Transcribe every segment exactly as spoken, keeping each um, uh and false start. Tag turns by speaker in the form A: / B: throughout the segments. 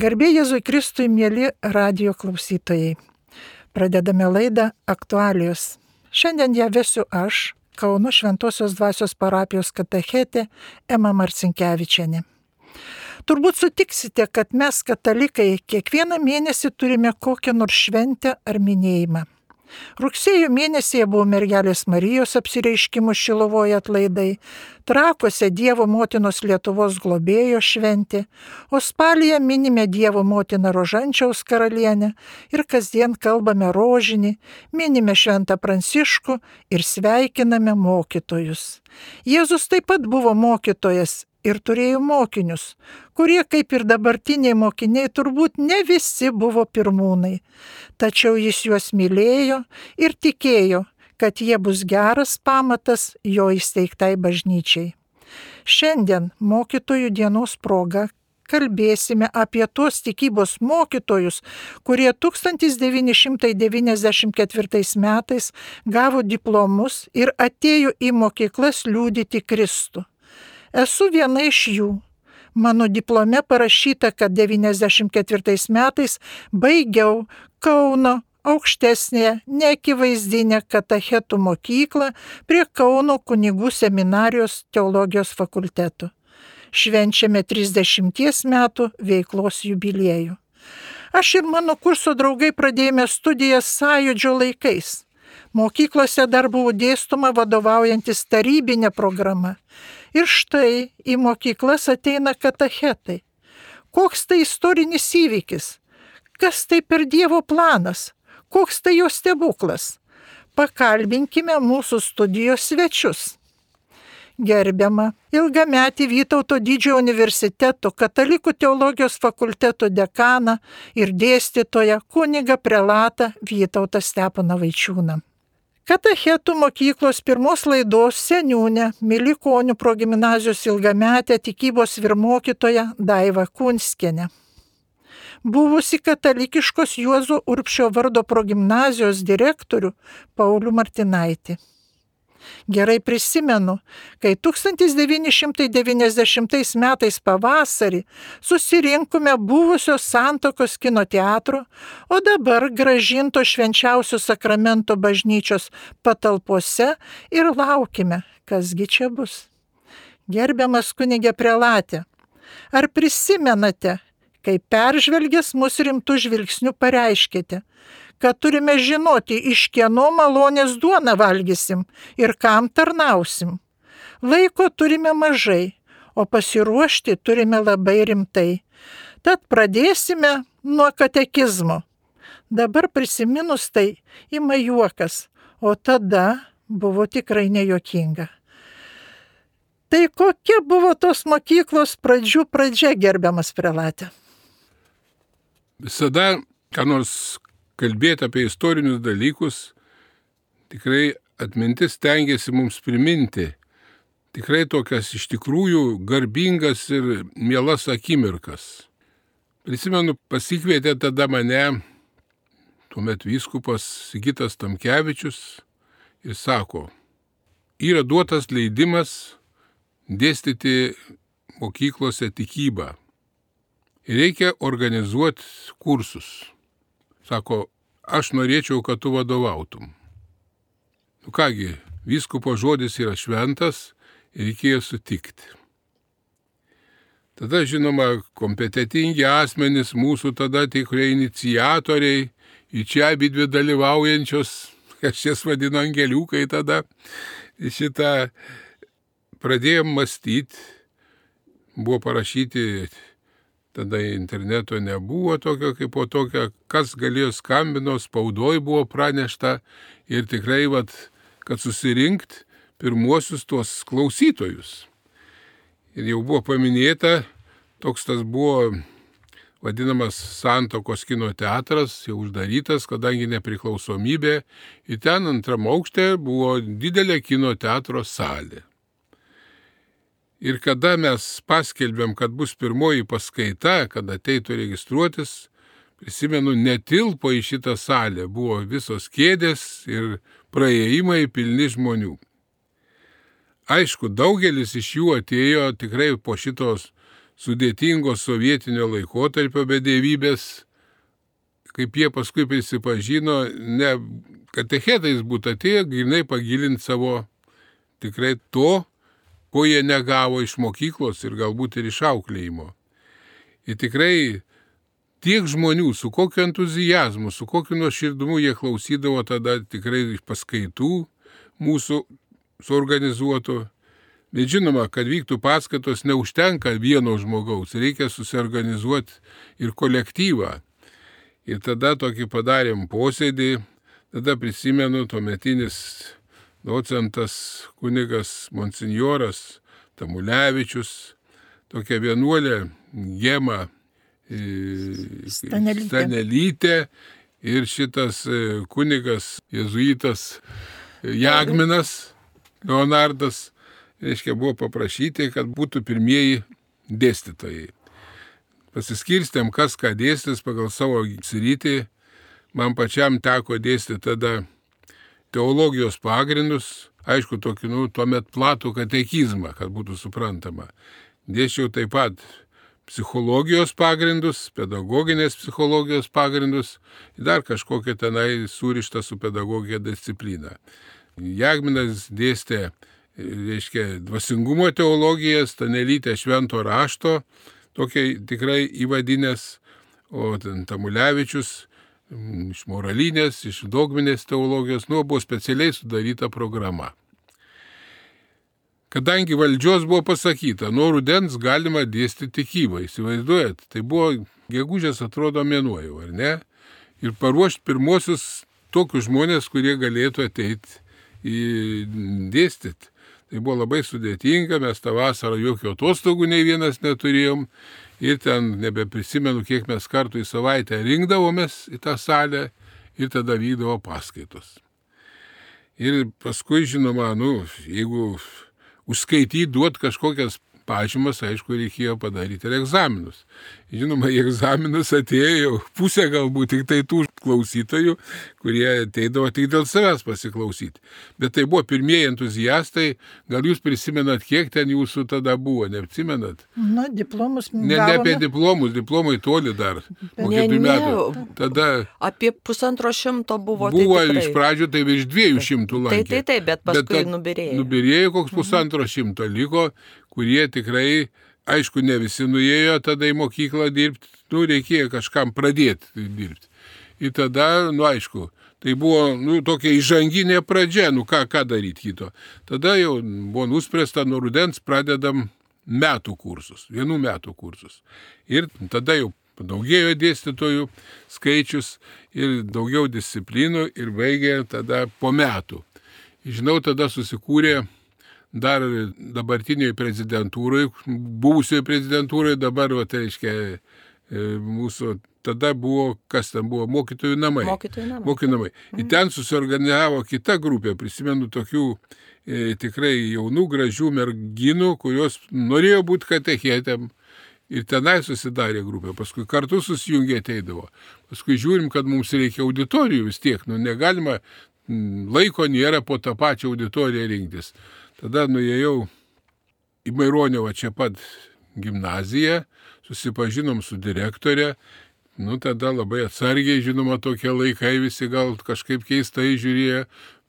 A: Garbė Jėzui Kristui, mieli radijo klausytojai. Pradedame laidą Aktualijos. Šiandien ją vesiu aš, Kauno Šventosios Dvasios parapijos katechetė Ema Marcinkevičienė. Turbūt sutiksite, kad mes katalikai kiekvieną mėnesį turime kokią nors šventę ar minėjimą. Rugsėjo mėnesyje buvo Mergelės Marijos apsireiškimų Šilovoje atlaidai, Trakuose Dievo motinos Lietuvos globėjo šventė, o spalyje minime Dievo motiną Rožančiaus karalienę ir kasdien kalbame rožinį, minime Šventą Pranciškų ir sveikiname mokytojus. Jėzus taip pat buvo mokytojas ir turėjo mokinius, kurie, kaip ir dabartiniai mokiniai, turbūt ne visi buvo pirmūnai. Tačiau jis juos mylėjo ir tikėjo, kad jie bus geras pamatas jo įsteigtai bažnyčiai. Šiandien mokytojų dienos proga kalbėsime apie tuos tikybos mokytojus, kurie tūkstantis devyni šimtai devyniasdešimt ketvirtais metais gavo diplomus ir atėjo į mokyklas liudyti Kristų. Esu viena iš jų. Mano diplome parašyta, kad devyniasdešimt ketvirtais metais baigiau Kauno aukštesnėje neakivaizdinę katechetų mokyklą prie Kauno kunigų seminarijos teologijos fakulteto. Švenčiame trisdešimties metų veiklos jubiliejų. Aš ir mano kurso draugai pradėjome studijas sąjūdžio laikais. Mokyklose dar buvo dėstoma vadovaujantis tarybinė programa. Ir štai į mokyklas ateina katechetai. Koks tai istorinis įvykis? Kas tai per Dievo planas? Koks tai jo stebuklas? Pakalbinkime mūsų studijos svečius. Gerbiama ilgametį Vytauto didžiojo universiteto katalikų teologijos fakulteto dekaną ir dėstytoją kunigą prelatą Vytautą Steponą Vaičiūną. Katechetų mokyklos pirmos laidos seniūnė Milikonių progimnazijos ilgametė tikybos vyrmokytoja Daiva Kunskienė. Buvusi katalikiškos Juozo Urbšio vardo progimnazijos direktorių Paulių Martinaitį. Gerai prisimenu, kai tūkstantis devyni šimtai devyniasdešimtais metais pavasarį susirinkome buvusio Santuokos kino teatro, o dabar grąžinto Švenčiausio sakramento bažnyčios patalpose ir laukime, kasgi čia bus. Gerbiamas kunige prelate, ar prisimenate, kai peržvelgęs mus rimtų žvilgsnių pareiškėte, kad turime žinoti, iš kieno malonės duoną valgysim ir kam tarnausim. Laiko turime mažai, o pasiruošti turime labai rimtai. Tad pradėsime nuo katekizmo. Dabar prisiminus tai ima juokas, o tada buvo tikrai nejuokinga. Tai kokia buvo tos mokyklos pradžių pradžia, gerbiamas prelate?
B: Visada, ką nors kalbėti apie istorinius dalykus, tikrai atmintis stengiasi mums priminti tikrai tokias iš tikrųjų garbingas ir mielas akimirkas. Prisimenu, pasikvietė tada mane tuomet vyskupas Sigitas Tamkevičius ir sako, yra duotas leidimas dėstyti mokyklose tikybą ir reikia organizuoti kursus. Sako, aš norėčiau, kad tu vadovautum. Nu kągi, vyskupo žodis yra šventas ir reikėjo sutikti. Tada, žinoma, kompetentingi asmenys, mūsų tada tikrai iniciatoriai, į čia abidvi dalyvaujančios, aš jas vadinu angeliukai tada, šitą pradėjom mąstyti, buvo parašyti. Tada interneto nebuvo tokio kaip po tokio, kas galėjo skambino, spaudoj buvo pranešta ir tikrai, vat, kad susirinkt pirmuosius tuos klausytojus. Ir jau buvo paminėta, toks tas buvo vadinamas Santuokos kino teatras, jau uždarytas, kadangi nepriklausomybė, ir ten antram aukšte buvo didelė kino teatro salė. Ir kada mes paskelbėm, kad bus pirmoji paskaita, kad ateitų registruotis, prisimenu, netilpo į šitą salę, buvo visos kėdės ir praėjimai pilni žmonių. Aišku, daugelis iš jų atėjo tikrai po šitos sudėtingos sovietinio laikotarpio bedevybės, kaip jie paskui prisipažino, ne katechetais būtų atėję, grinai pagilinti savo tikrai to, ko jie negavo iš mokyklos ir galbūt ir iš auklėjimo. Ir tikrai tiek žmonių, su kokiu entuzijazmu, su kokiu nuoširdumu jie klausydavo tada tikrai paskaitų mūsų suorganizuotų. Bet žinoma, kad vyktų paskaitos neužtenka vieno žmogaus, reikia susiorganizuoti ir kolektyvą. Ir tada tokį padarėm posėdį, tada prisimenu tuometinis docentas kunigas monsinjoras Tamulevičius, tokia vienuolė Gema
A: Stanelytė.
B: Stanelytė ir šitas kunigas jėzuitas Jagminas Leonardas, reiškia, buvo paprašyti, kad būtų pirmieji dėstytojai. Pasiskirstėm, kas ką dėstys pagal savo sritį. Man pačiam teko dėstyti tada teologijos pagrindus, aišku, tokį, nu, tuomet platų katekizmą, kad būtų suprantama. Dėsčiau taip pat psichologijos pagrindus, pedagoginės psichologijos pagrindus ir dar kažkokią tenai surištą su pedagogija discipliną. Jagminas dėstė, reiškia, dvasingumo teologiją, Stanelytė švento rašto, tokia tikrai įvadinės, o Tamulevičius iš moralinės, iš dogminės teologijos, nu, buvo specialiai sudaryta programa. Kadangi valdžios buvo pasakyta, nuo rudens galima dėstyti tikybą, įsivaizduojat, tai buvo gegužės atrodo mėnuo jau, ar ne? Ir paruošti pirmosius tokius žmonės, kurie galėtų ateiti į dėstyti. Tai buvo labai sudėtinga, mes tą vasarą jokių atostogų nei vienas neturėjom ir ten nebeprisimenu, kiek mes kartų į savaitę rinkdavomės į tą salę ir tada vykdavo paskaitos. Ir paskui, žinoma, nu, jeigu užskaityti, duot kažkokias pažymas, aišku, reikėjo padaryti ir egzaminus. Žinoma, į egzaminus atėjo pusė galbūt tik tai tų klausytojų, kurie ateidavo tik dėl savęs pasiklausyti. Bet tai buvo pirmieji entuziastai, gal jūs prisimenat, kiek ten jūsų tada buvo, neatsimenat?
A: Na, diplomus
B: Ne, ne apie diplomus, diplomai toli dar, po
C: Ne,
B: keturių
C: ne,
B: metų. Tada
C: Apie pusantro šimto buvo.
B: buvo
C: tai
B: iš
C: tikrai.
B: pradžių tai virš dviejų šimtų
C: Tai,
B: lankė.
C: tai, tai, bet paskui
B: tad
C: nubirėjo.
B: Nubirėjo koks pusantro šimto liko, kurie tikrai, aišku, ne visi nuėjo tada į mokyklą dirbti, nu, reikėjo kažkam pradėti dirbti. Ir tada, nu, aišku, tai buvo, nu, tokia įžanginė pradžia, nu, ką, ką daryti kito. Tada jau buvo nuspręsta, nuo rudens pradedam metų kursus, vienų metų kursus. Ir tada jau padaugėjo dėstytojų skaičius ir daugiau disciplinų ir baigė tada po metų. Žinau, tada susikūrė dar dabartinėje prezidentūroje, buvusioje prezidentūroje, dabar, va, tai reiškia, mūsų, tada buvo, kas ten buvo, mokytojų namai.
C: Mokytojų namai.
B: Mokytojų namai. Ir ten susiorganizavo kita grupė, prisimenu tokių e, tikrai jaunų, gražių merginų, kurios norėjo būti katechetėm. Ir tenai susidarė grupė, paskui kartu susijungė ateidavo. Paskui žiūrim, kad mums reikia auditorijų vis tiek, nu negalima, laiko nėra po tą pačią auditoriją rinktis. Tada nuėjau į Maironio čia pat gimnaziją, susipažinom su direktorė, nu tada labai atsargiai, žinoma, tokie laikai visi gal kažkaip keistai žiūrėjo,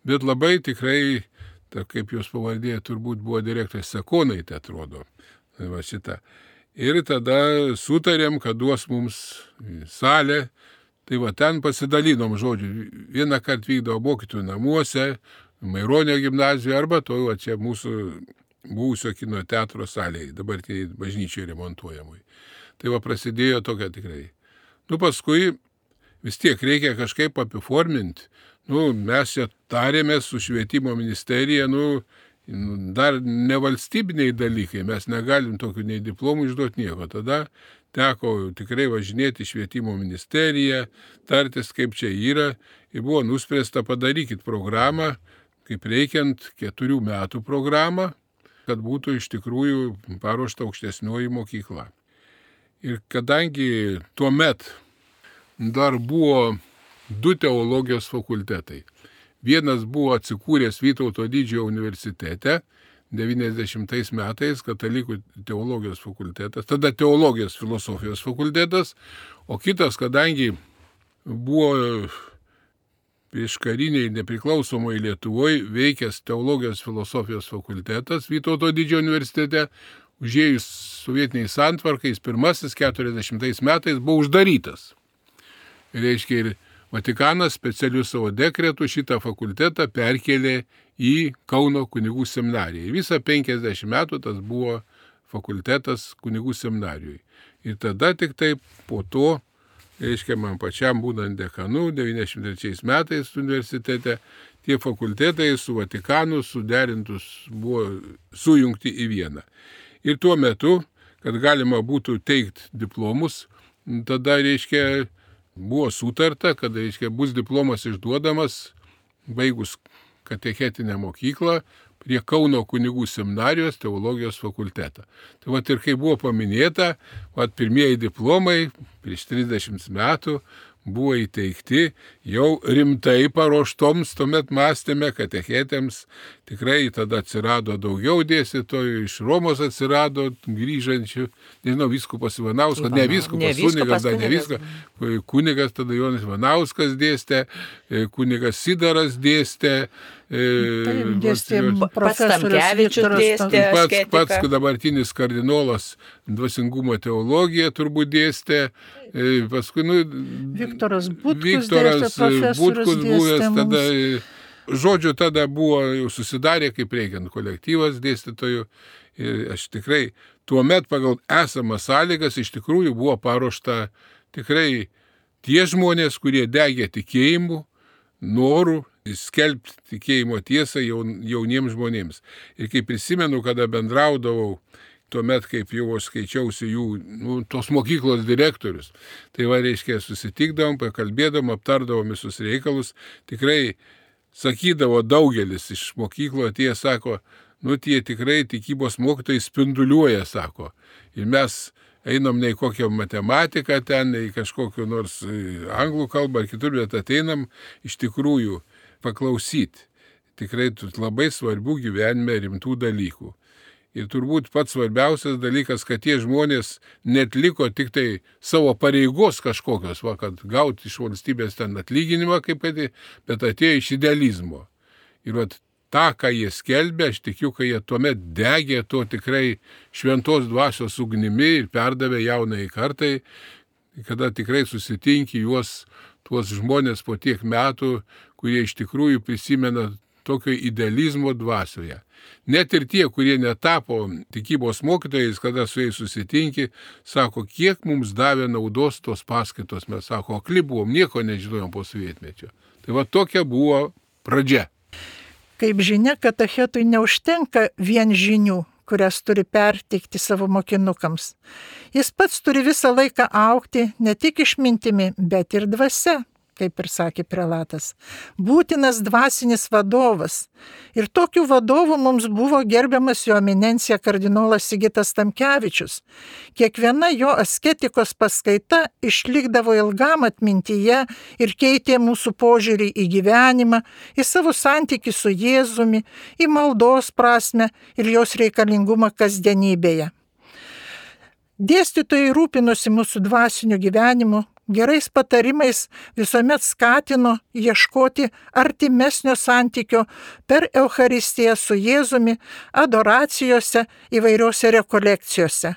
B: bet labai tikrai, ta, kaip jos pavardė, turbūt buvo direktorė Sakonaitė, atrodo. Va šita. Ir tada sutarėm, kad duos mums salę, tai va ten pasidalinom, žodžiu, vieną kartą vykdavo mokytojų namuose, Maironio gimnazijoje arba to, va čia mūsų buvusio kino teatro salėje, dabar tai bažnyčiai remontuojamui. Tai va prasidėjo tokia tikrai. Nu paskui vis tiek reikia kažkaip apiforminti. Nu mes čia tarėmės su švietimo ministerija, nu dar nevalstybiniai dalykai, mes negalim tokių nei diplomų išduoti nieko. Tada teko tikrai važinėti švietimo ministeriją, tartis kaip čia yra ir buvo nuspręsta padarykit programą, kaip reikiant keturių metų programą, kad būtų iš tikrųjų paruošta aukštesnioji mokykla. Ir kadangi tuo met dar buvo du teologijos fakultetai. Vienas buvo atsikūręs Vytauto didžiojo universitete, devyniasdešimtais metais katalikų teologijos fakultetas, tada teologijos filosofijos fakultetas, o kitas, kadangi buvo prieškariniai nepriklausomoje Lietuvoje veikęs teologijos filosofijos fakultetas Vytauto didžiojo universitete, užėjus sovietiniai santvarkais, pirmasis keturiasdešimtais metais buvo uždarytas. Ir reiškia, ir Vatikanas specialiu savo dekretu šitą fakultetą perkelė į Kauno kunigų seminariją. Ir visą penkiasdešimt metų tas buvo fakultetas kunigų seminarijoje. Ir tada tik taip po to, reiškia, man pačiam būdant dekanu devyniasdešimt trečiais metais universitete, tie fakultetai su Vatikanu suderintus buvo sujungti į vieną. Ir tuo metu, kad galima būtų teikti diplomus, tada, reiškia, buvo sutarta, kad, reiškia, bus diplomas išduodamas, baigus katechetinę mokyklą, prie Kauno kunigų seminarijos teologijos fakultetą. Tai vat ir kai buvo paminėta, vat pirmieji diplomai prieš trisdešimt metų buvo įteikti jau rimtai paruoštoms, tuomet mąstėme katechetėms, tikrai tada atsirado daugiau dėstytojų, iš Romos atsirado grįžančių, nežinau, vyskupas Ivanauskas, ne vyskupas, kunigas, dar ne vyskupas, kunigas tada Jonas Ivanauskas dėstė, kunigas Sidaras dėstė,
A: Taip, dėstė profesorius
C: Tamkevičius dėstė
B: pats, pats dabartinis kardinolas dvasingumo teologiją turbūt dėstė, paskui, nu,
A: Viktoras Butkus
B: Viktoras
A: dėstė, profesorius
B: Butkus buvęs,
A: dėstė
B: tada,
A: mums.
B: žodžiu, tada buvo jau susidarė kaip reikiant kolektyvas dėstytojų ir aš tikrai tuomet pagal esamas sąlygas iš tikrųjų buvo paruošta tikrai tie žmonės, kurie degė tikėjimu, noru skelbti tikėjimo tiesą jauniems žmonėms. Ir kai prisimenu, kada bendraudavau, tuomet, kaip jau aš skaičiausi jų, nu, tos mokyklos direktorius, tai va, reiškia, susitikdavom, pakalbėdavom, aptardavom visus reikalus, tikrai sakydavo daugelis iš mokyklo, tie sako, nu, tie tikrai tikybos mokytojai spinduliuoja, sako. Ir mes einam ne į kokią matematiką ten, ne į kažkokiu nors anglų kalbą ar kitur, bet ateinam iš tikrųjų paklausyti. Tikrai labai svarbių gyvenime rimtų dalykų. Ir turbūt pats svarbiausias dalykas, kad tie žmonės netliko tik tai savo pareigos kažkokios, va, kad gauti iš valstybės ten atlyginimą, kaip kad, bet atėjo iš idealizmo. Ir va, tą, ką jie skelbė, aš tikiu, kad jie tuomet degė to tikrai šventos dvasios ugnimi ir perdavė jaunai kartai, kada tikrai susitinki juos, tuos žmonės po tiek metų, kurie iš tikrųjų prisimena tokio idealizmo dvasioje. Net ir tie, kurie netapo tikybos mokytojais, kada su jais susitinki, sako, kiek mums davė naudos tos paskaitos. Mes sako, akli buvom, nieko nežinojom po sovietmečio. Tai va tokia buvo pradžia.
A: Kaip žinia, katechetui neužtenka vien žinių, kurias turi perteikti savo mokinukams. Jis pats turi visą laiką augti ne tik išmintimi, bet ir dvasia, kaip ir sakė prelatas. Būtinas dvasinis vadovas. Ir tokių vadovų mums buvo gerbiamas jo eminencija kardinolas Sigitas Tamkevičius. Kiekviena jo asketikos paskaita išlikdavo ilgam atmintyje ir keitė mūsų požiūrį į gyvenimą, į savo santykį su Jėzumi, į maldos prasmę ir jos reikalingumą kasdienybėje. Dėstytojai rūpinosi mūsų dvasiniu gyvenimu, gerais patarimais visuomet skatino ieškoti artimesnio santykio per Eucharistiją su Jėzumi, adoracijose, įvairiose rekolekcijose.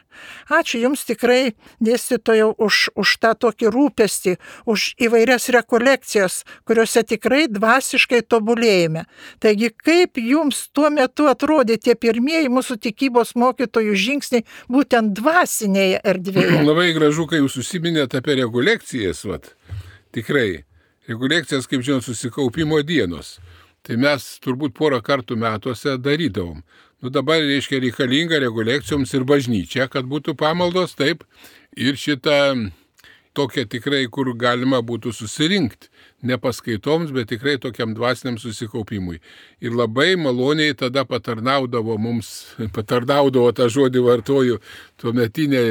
A: Ačiū Jums tikrai, dėstytojau, už, už tą tokį rūpestį, už įvairias rekolekcijas, kuriuose tikrai dvasiškai tobulėjame. Taigi, kaip Jums tuo metu atrodė tie pirmieji mūsų tikybos mokytojų žingsniai būtent dvasinėje erdvėje?
B: Labai gražu, kai Jūs užsiminėte apie rekolekcijas, vat. Tikrai, rekolekcijas, kaip žinot, susikaupimo dienos. Tai mes turbūt porą kartų metuose darydavom. Nu dabar, reiškia, reikalinga rekolekcijoms ir bažnyčia, kad būtų pamaldos, taip, ir šitą tokia tikrai, kur galima būtų susirinkti, ne paskaitoms, bet tikrai tokiam dvasiniam susikaupimui. Ir labai maloniai tada patarnaudavo mums, patarnaudavo tą žodį vartoju, tuometinė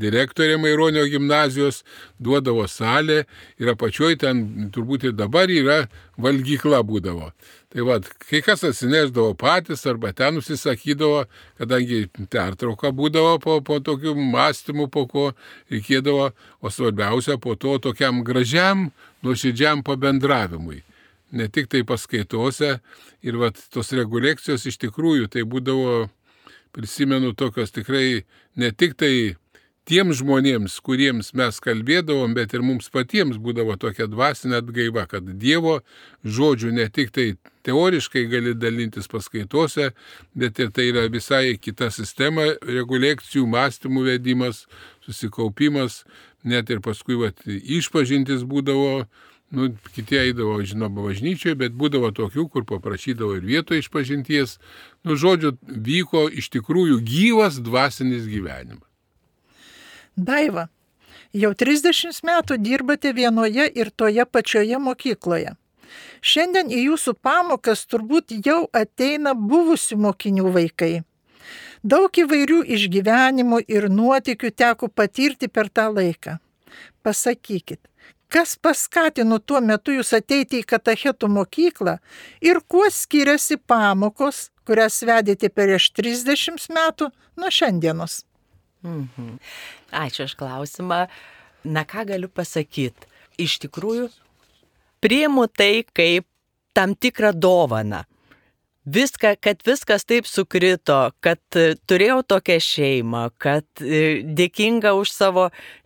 B: direktorė Maironio gimnazijos, duodavo salę ir apačioj ten turbūt ir dabar yra valgykla būdavo. Tai va, kai kas atsineždavo patys arba ten užsisakydavo, kadangi pertrauka būdavo po, po tokių mąstymų, po ko reikėdavo, o svarbiausia po to tokiam gražiam, nuoširdžiam pabendravimui. Ne tik tai paskaitose ir va, tos rekolekcijos iš tikrųjų tai būdavo, prisimenu, tokios tikrai ne tik tai tiems žmonėms, kuriems mes kalbėdavom, bet ir mums patiems būdavo tokia dvasinė atgaiva, kad Dievo žodžių ne tik tai teoriškai gali dalintis paskaitose, bet ir tai yra visai kita sistema, rekolekcijų, mąstymų vedimas, susikaupimas, net ir paskui va, išpažintis būdavo. Nu, kiti eidavo, žinoma, bažnyčioje, bet būdavo tokių, kur paprašydavo ir vietoje išpažinties. Nu, žodžiu, vyko iš tikrųjų gyvas dvasinis gyvenimas.
A: Daiva, jau trisdešimt metų dirbate vienoje ir toje pačioje mokykloje. Šiandien į jūsų pamokas turbūt jau ateina buvusių mokinių vaikai. Daug įvairių išgyvenimų ir nuotykių teko patirti per tą laiką. Pasakykit, kas paskatino tuo metu jūs ateiti į katechetų mokyklą ir kuo skiriasi pamokos, kurias vedėte prieš trisdešimt metų nuo šiandienos?
C: Mhm. Ačiū už klausimą. Na ką galiu pasakyti? Iš tikrųjų, priimu tai kaip tam tikrą dovaną. Viską, kad viskas taip sukrito, kad turėjau tokią šeimą, kad dėkinga už savo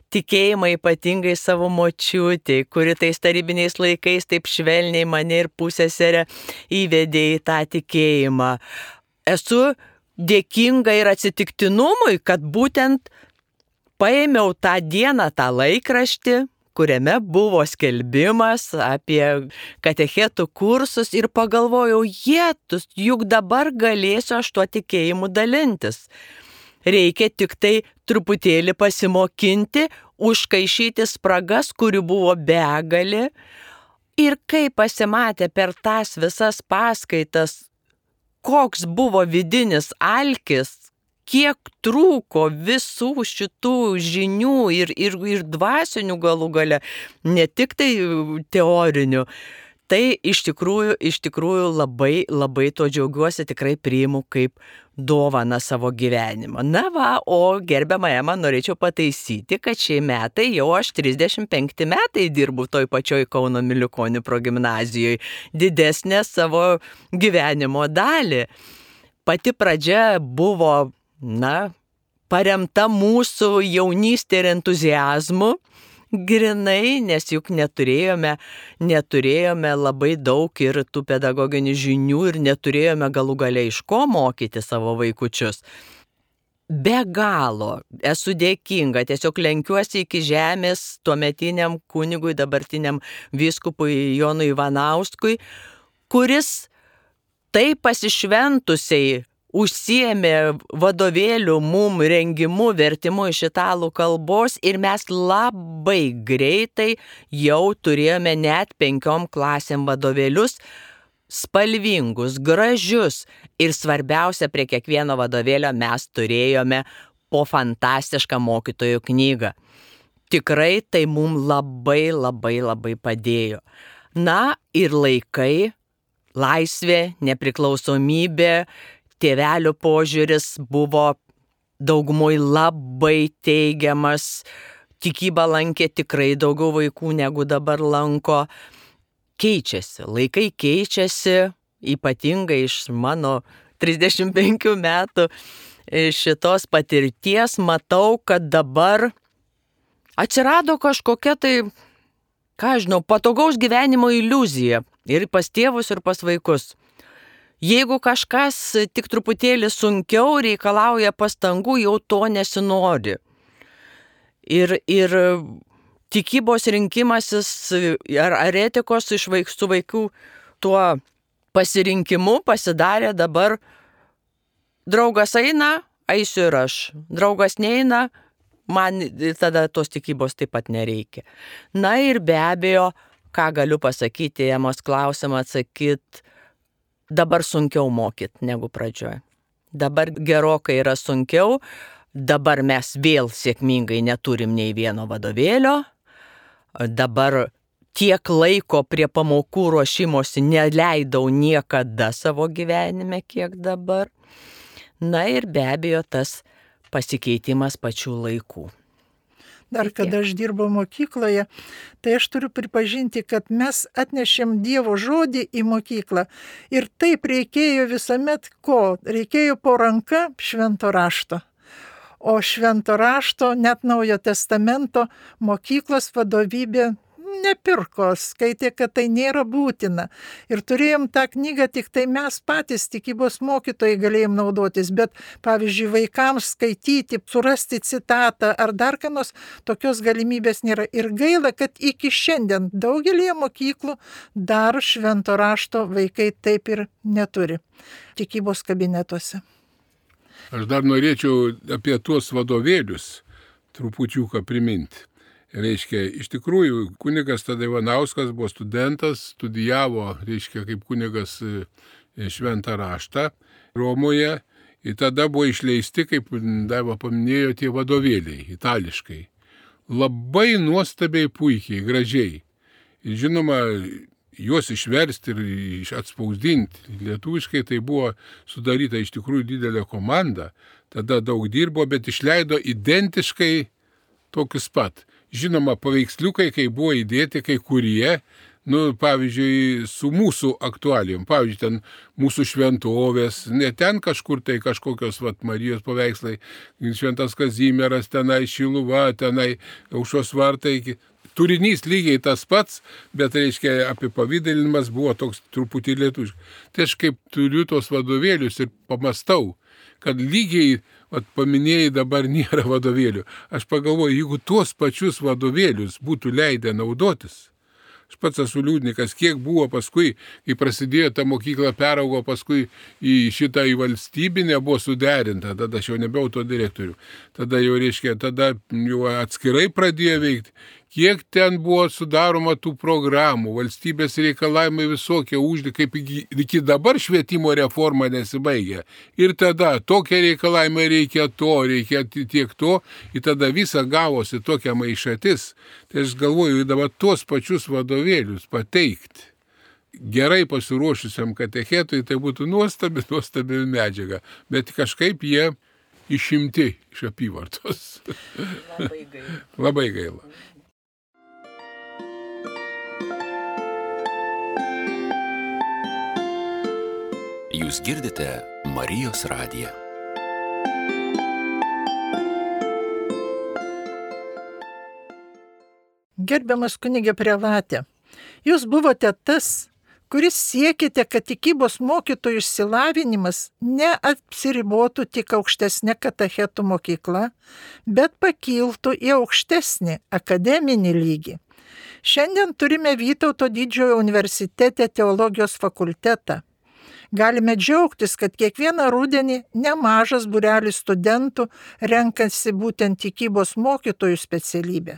C: tikėjimą, ypatingai savo močiutei, kuri tais tarybiniais laikais taip švelniai mane ir pusseserę įvedė į tą tikėjimą. Esu dėkinga ir atsitiktinumui, kad būtent paėmiau tą dieną tą laikraštį, kuriame buvo skelbimas apie katechetų kursus ir pagalvojau, jėtus, juk dabar galėsiu aš tuo tikėjimu dalintis. Reikia tik tai truputėlį pasimokinti, užkaišyti spragas, kurių buvo begalė. Ir kai pasimatė per tas visas paskaitas, koks buvo vidinis alkis, kiek trūko visų šitų žinių ir, ir, ir dvasinių galų gale, ne tik tai teorinių, tai iš tikrųjų, iš tikrųjų labai, labai to džiaugiuosi, tikrai priimu kaip dovaną savo gyvenimą. Na va, o gerbiamą Emą norėčiau pataisyti, kad šie metai jau aš trisdešimt penkti metai dirbu toj pačioj Kauno Miliukonių progimnazijoje, didesnę savo gyvenimo dalį. Pati pradžia buvo, na, paremta mūsų jaunystė ir entuziazmu, grinai, nes juk neturėjome, neturėjome labai daug ir tų pedagoginių žinių ir neturėjome galų gale iš ko mokyti savo vaikučius. Be galo esu dėkinga, tiesiog lenkiuosi iki žemės tuometiniam kunigui, dabartiniam vyskupui Jonui Ivanauskui, kuris taip pasišventusiai užsiėmė vadovėlių mum rengimu, vertimu iš italų kalbos ir mes labai greitai jau turėjome net penkiom klasėm vadovėlius, spalvingus, gražius ir svarbiausia, prie kiekvieno vadovėlio mes turėjome po fantastišką mokytojų knygą. Tikrai tai mum labai labai labai padėjo. Na ir laikai, laisvė, nepriklausomybė, tėvelių požiūris buvo daugumoj labai teigiamas, tikybą lankė tikrai daugiau vaikų negu dabar lanko. Keičiasi, laikai keičiasi, ypatingai iš mano trisdešimt penkių metų šitos patirties matau, kad dabar atsirado kažkokia tai, ką žinau, patogaus gyvenimo iliuzija ir pas tėvus, ir pas vaikus. Jeigu kažkas tik truputėlį sunkiau reikalauja pastangų, jau to nesinori. Ir, ir tikybos rinkimasis ar, ar etikos iš vaik, su vaikų tuo pasirinkimu pasidarė dabar draugas eina, eisiu ir aš. Draugas neina, man tada tos tikybos taip pat nereikia. Na ir be abejo, ką galiu pasakyti, Emos klausimą atsakyti, dabar sunkiau mokyti negu pradžioje. Dabar gerokai yra sunkiau, dabar mes vėl sėkmingai neturim nei vieno vadovėlio, dabar tiek laiko prie pamokų ruošimosi neleidau niekada savo gyvenime, kiek dabar. Na ir be abejo tas pasikeitimas pačių laikų.
A: Dar kada aš dirbau mokykloje, tai aš turiu pripažinti, kad mes atnešėm Dievo žodį į mokyklą ir taip reikėjo visuomet ko? Reikėjo po ranka švento rašto. O švento rašto, net Naujojo testamento mokyklos vadovybė nepirko, skaitė, kad tai nėra būtina. Ir turėjom tą knygą, tik tai mes patys tikybos mokytojai galėjom naudotis, bet pavyzdžiui vaikams skaityti, surasti citatą ar dar ką nors, tokios galimybės nėra. Ir gaila, kad iki šiandien daugelį mokyklų dar švento rašto vaikai taip ir neturi tikybos kabinetuose.
B: Aš dar norėčiau apie tuos vadovėlius trupučiuką priminti. Reiškia, iš tikrųjų, kunigas tada Ivanauskas buvo studentas, studijavo, reiškia, kaip kunigas šventą raštą Romoje ir tada buvo išleisti, kaip Daiva paminėjo, tie vadovėliai itališkai. Labai nuostabiai, puikiai, gražiai. Ir žinoma, juos išversti ir atspausdinti lietuviškai, tai buvo sudaryta iš tikrųjų didelė komanda, tada daug dirbo, bet išleido identiškai tokius pat. Žinoma, paveiksliukai, kai buvo įdėti kai kurie, nu, pavyzdžiui, su mūsų aktualijom. Pavyzdžiui, ten mūsų šventovės, ne ten kažkur tai kažkokios vat, Marijos paveikslai, Šventas Kazimieras, tenai Šiluva, tenai Aušros vartai. Turinys lygiai tas pats, bet, reiškia, apipavidalinimas buvo toks truputį lietuviškas. Tai aš kaip turiu tos vadovėlius ir pamastau, kad lygiai, vat, paminėjai, dabar nėra vadovėlių. Aš pagalvoju, jeigu tuos pačius vadovėlius būtų leidę naudotis, aš pats esu liūdnikas, kiek buvo paskui, kai prasidėjo ta mokykla, peraugo paskui į šitą į valstybinę, buvo suderinta, tada aš jau nebėjau to direktorių. Tada jau, reiškia, tada jau atskirai pradėjo veikti. Kiek ten buvo sudaroma tų programų, valstybės reikalavimai visokie uždė, kaip iki dabar švietimo reforma nesibaigia. Ir tada tokie reikalavimai reikia to, reikia tiek to, ir tada visa gavosi tokia maišatis. Tai aš galvoju, dabar tuos pačius vadovėlius pateikti gerai pasiruošusiam katechetui, tai būtų nuostabi, nuostabi medžiaga. Bet kažkaip jie išimti iš apyvartos.
C: Labai gaila.
B: Labai gaila.
D: Jūs girdite Marijos radiją.
A: Gerbiamas kunige prelate, jūs buvote tas, kuris siekite, kad tikybos mokytojų išsilavinimas neapsiribotų tik aukštesnė katechetų mokykla, bet pakiltų į aukštesnį akademinį lygį. Šiandien turime Vytauto didžiojo universitete teologijos fakultetą. Galime džiaugtis, kad kiekvieną rudenį nemažas būrelis studentų renkasi būtent tikybos mokytojų specialybę.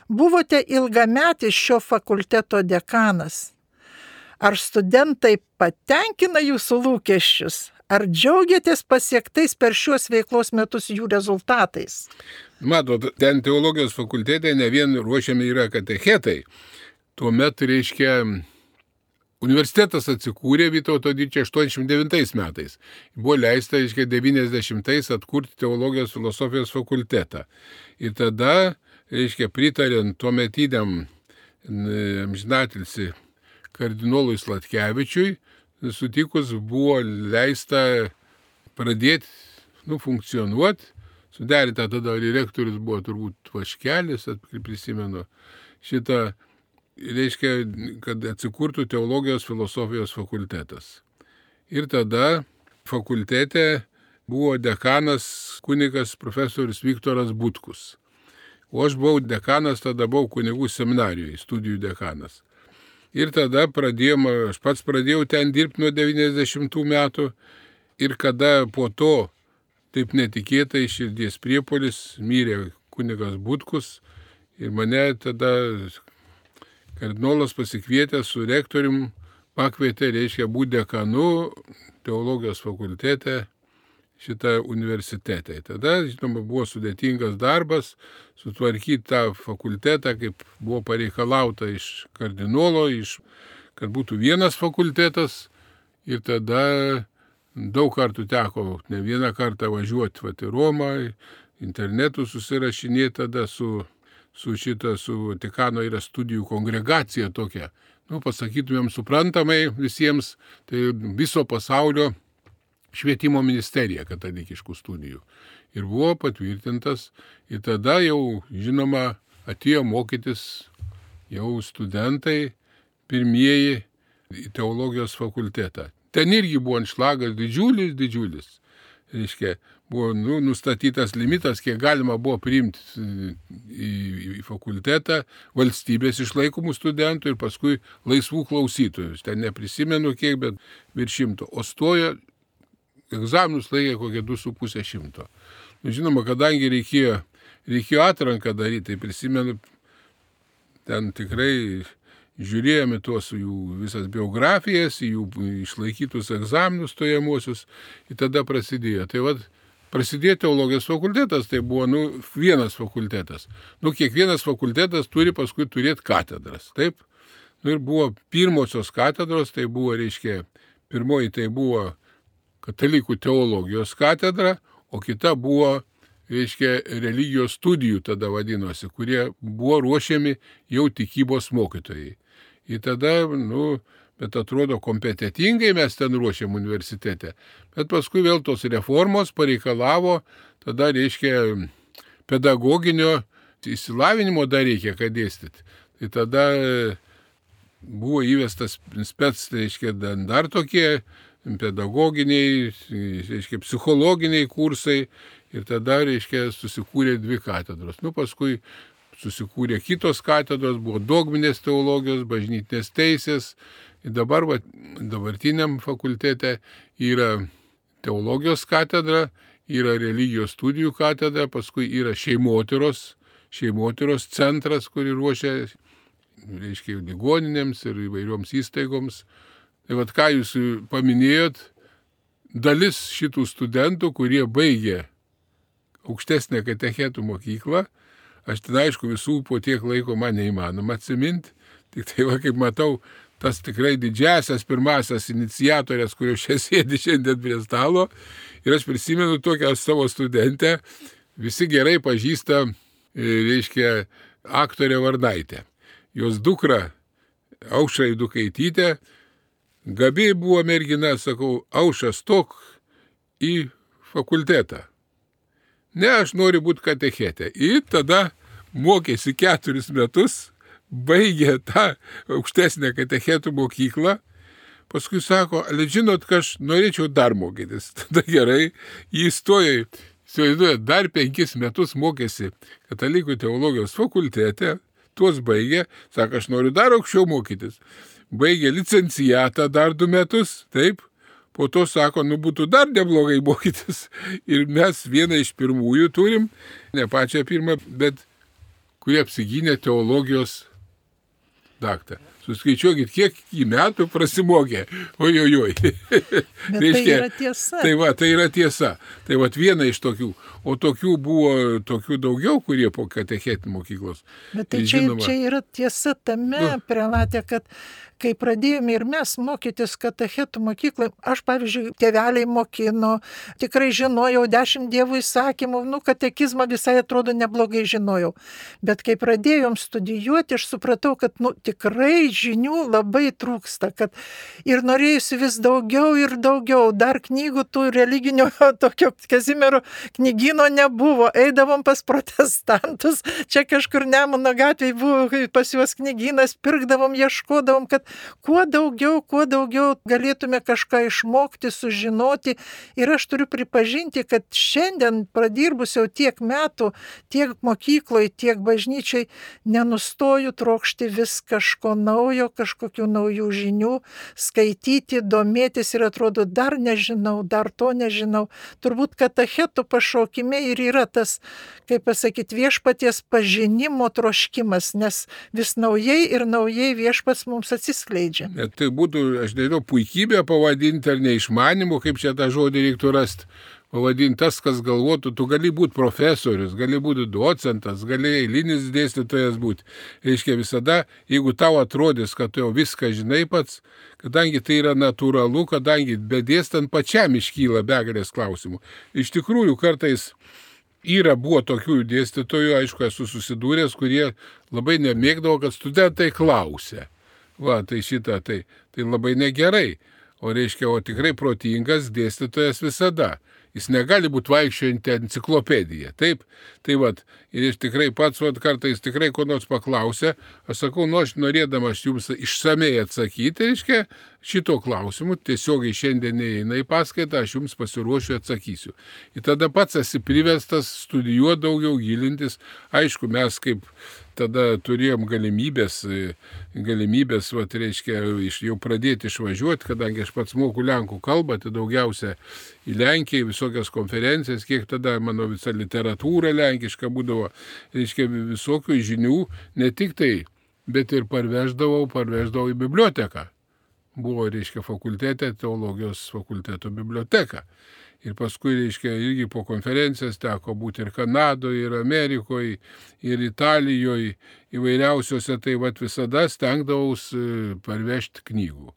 A: Buvote ilgametis šio fakulteto dekanas. Ar studentai patenkina jūsų lūkesčius? Ar džiaugiatės pasiektais per šiuos veiklos metus jų rezultatais?
B: Matot, ten teologijos fakultete ne vien ruošiami yra katechetai. Tuomet, reiškia, universitetas atsikūrė Vytauto didžiojo aštuoniasdešimt devintais metais. Buvo leista, reiškia, devyniasdešimtais atkurti teologijos filosofijos fakultetą. Ir tada, reiškia, pritarint tuometiniam amžinatilsį kardinolui Sladkevičiui, sutikus buvo leista pradėti, nu, funkcionuoti. Suderinta tada direktorius buvo turbūt Vaškelis, prisimenu, šitą, reiškia, kad atsikurtų teologijos filosofijos fakultetas. Ir tada fakultete buvo dekanas kunigas profesorius Viktoras Butkus. O aš buvau dekanas, tada buvau kunigų seminarijoje, studijų dekanas. Ir tada pradėjom, aš pats pradėjau ten dirbti nuo devyniasdešimtų metų ir kada po to taip netikėtai širdies priepuolis mirė kunigas Butkus ir mane tada kardinolas pasikvietęs su rektorium pakvietė, reiškia, būti dekanu teologijos fakultete šitą universitetą. Tada, žinoma, buvo sudėtingas darbas sutvarkyti tą fakultetą, kaip buvo pareikalauta iš kardinolo, iš, kad būtų vienas fakultetas. Ir tada daug kartų teko, ne vieną kartą važiuoti vat, į Romą, internetu susirašinėti tada su, su šita, su Vatikano yra studijų kongregacija tokia. Nu, pasakytumėm suprantamai visiems, tai viso pasaulio švietimo ministerija katalikiškų studijų. Ir buvo patvirtintas, ir tada jau, žinoma, atėjo mokytis jau studentai pirmieji į teologijos fakultetą. Ten irgi buvo anšlagas didžiulis, didžiulis. Reiškia, buvo nu, nustatytas limitas, kiek galima buvo priimti į, į fakultetą valstybės išlaikomų studentų ir paskui laisvų klausytojų. Ten neprisimenu kiek, bet virš šimto. O stojo egzaminus laikė kokie du su pusė šimto. Nu, žinoma, kadangi reikėjo, reikėjo atranką daryti, tai prisimenu, ten tikrai žiūrėjome tuos jų visas biografijas, jų išlaikytus egzaminus stojamosius ir tada prasidėjo. Tai vad, prasidėjo teologijos fakultetas, tai buvo nu, vienas fakultetas. Nu, kiekvienas fakultetas turi paskui turėti katedras, taip? Nu, ir buvo pirmosios katedros, tai buvo, reiškia, pirmoji tai buvo katalikų teologijos katedra, o kita buvo, reiškia, religijos studijų tada vadinosi, kurie buvo ruošiami jau tikybos mokytojai. Ir tada, nu, bet atrodo kompetitingai mes ten ruošiam universitete. Bet paskui vėl tos reformos pareikalavo, tada, reiškia, pedagoginio išsilavinimo dar reikia, kad dėstyti. Tai tada buvo įvestas spec, reiškia, dar tokie pedagoginiai, reiškia, psichologiniai kursai. Ir tada, reiškia, susikūrė dvi katedros. Nu, paskui susikūrė kitos katedros, buvo dogminės teologijos, bažnytinės teisės. Ir dabar, va, dabartiniam fakultete yra teologijos katedra, yra religijos studijų katedra, paskui yra šeimotyros, šeimotyros centras, kuri ruošia, reiškia, ligoninėms ir įvairioms įstaigoms. Tai va, ką jūs paminėjot, dalis šitų studentų, kurie baigė aukštesnę katechetų mokyklą, aš ten aišku visų po tiek laiko man neįmanoma atsiminti, tik tai va, kaip matau, tas tikrai didžiasias pirmasias iniciatorės, kurios čia sėdi šiandien prie stalo, ir aš prisimenu tokią savo studentę, visi gerai pažįsta, reiškia, aktorė Varnaitė. Jos dukra, Aušra Eidukaitytė, gabi buvo mergina, sakau, Aušra, stok į fakultetą. Ne, aš noriu būti katechetė. Ir tada mokėsi keturis metus, baigė tą aukštesnę katechetų mokyklą. Paskui sako, ale žinot, kad aš norėčiau dar mokytis. Tada gerai, jį įstojo, įsivaizduoja, dar penkis metus mokėsi katalikų teologijos fakultete, tuos baigė, sako, aš noriu dar aukščiau mokytis. Baigė licencijatą dar du metus, taip. Po to sako, nu būtų dar neblogai mokytis. Ir mes vieną iš pirmųjų turim, ne pačią pirmą, bet kurie apsigynė teologijos daktarą. Suskaičiuokit, kiek į metų prasimokė. Ojojoj.
A: Bet reiškia, tai yra tiesa.
B: Tai va, tai yra tiesa. Tai va, viena iš tokių. O tokių buvo tokių daugiau, kurie po katechetų mokyklos.
A: Bet tai čia, Žinoma, čia yra tiesa tame, nu, prelatė, kad kai pradėjome ir mes mokytis katechetų mokyklai, aš, pavyzdžiui, tėveliai mokino, tikrai žinojau dešimt dievų įsakymų, nu, katekizmą visai atrodo neblogai žinojau. Bet kai pradėjom studijuoti, aš supratau, kad, nu, tikrai žinių labai trūksta, kad ir norėjusi vis daugiau ir daugiau, dar knygų tų religinio tokio Kazimiero knygyno nebuvo, eidavom pas protestantus, čia kažkur Nemuno gatvėje buvo pas juos knygynas, pirkdavom, ieškodavom, kad kuo daugiau, kuo daugiau galėtume kažką išmokti, sužinoti. Ir aš turiu pripažinti, kad šiandien pradirbus jau tiek metų, tiek mokykloje, tiek bažnyčiai, nenustoju trokšti vis kažko naujo, kažkokių naujų žinių, skaityti, domėtis ir atrodo, dar nežinau, dar to nežinau. Turbūt katechetų pašaukime ir yra tas, kaip pasakyti, viešpaties pažinimo troškimas, nes vis naujai ir naujai viešpats mums atsiskleidžia.
B: Bet tai būtų, aš nežinau, puikybė pavadinti ar neišmanimu, kaip čia tą žodį reiktų rasti. pavadintas, kas galvotų, tu gali būti profesorius, gali būti docentas, gali eilinis dėstytojas būti. Reiškia visada, jeigu tau atrodys, kad tu jau viską žinai pats, kadangi tai yra natūralu, kadangi bedėstant pačiam iškyla begalės klausimų. Iš tikrųjų, kartais yra buvo tokių dėstytojų, aišku, esu susidūręs, kurie labai nemėgdavo, kad studentai klausė. Va, tai šitą, tai, tai labai negerai. O reiškia, o tikrai protingas dėstytojas visada. Jis negali būti vaikščiojanti enciklopedija. Taip, tai vat, ir aš tikrai pats vat, kartais tikrai ko nors paklausė, aš sakau, nu aš norėdamas jums išsamei atsakyti, reiškia, šito klausimu, tiesiogiai šiandien neįeina į paskaitą, aš jums pasiruošiu atsakysiu. Ir tada pats esi priverstas studijuoti daugiau, gilintis. Aišku, mes kaip tada turėjom galimybės, galimybės, vat, reiškia, jau pradėti išvažiuoti, kadangi aš pats moku lenkų kalbą, tai daugiausia į Lenkiją, visokias konferencijas, kiek tada mano visa literatūra lenkiška būdavo, reiškia, visokių žinių, ne tik tai, bet ir parveždavau, parveždavau į biblioteką. Buvo, reiškia, fakultete, teologijos fakulteto biblioteka. Ir paskui, reiškia, irgi po konferencijas teko būti ir Kanadoje, ir Amerikoje, ir Italijoje, įvairiausiose, tai vat visada stengdavaus parvežti knygų.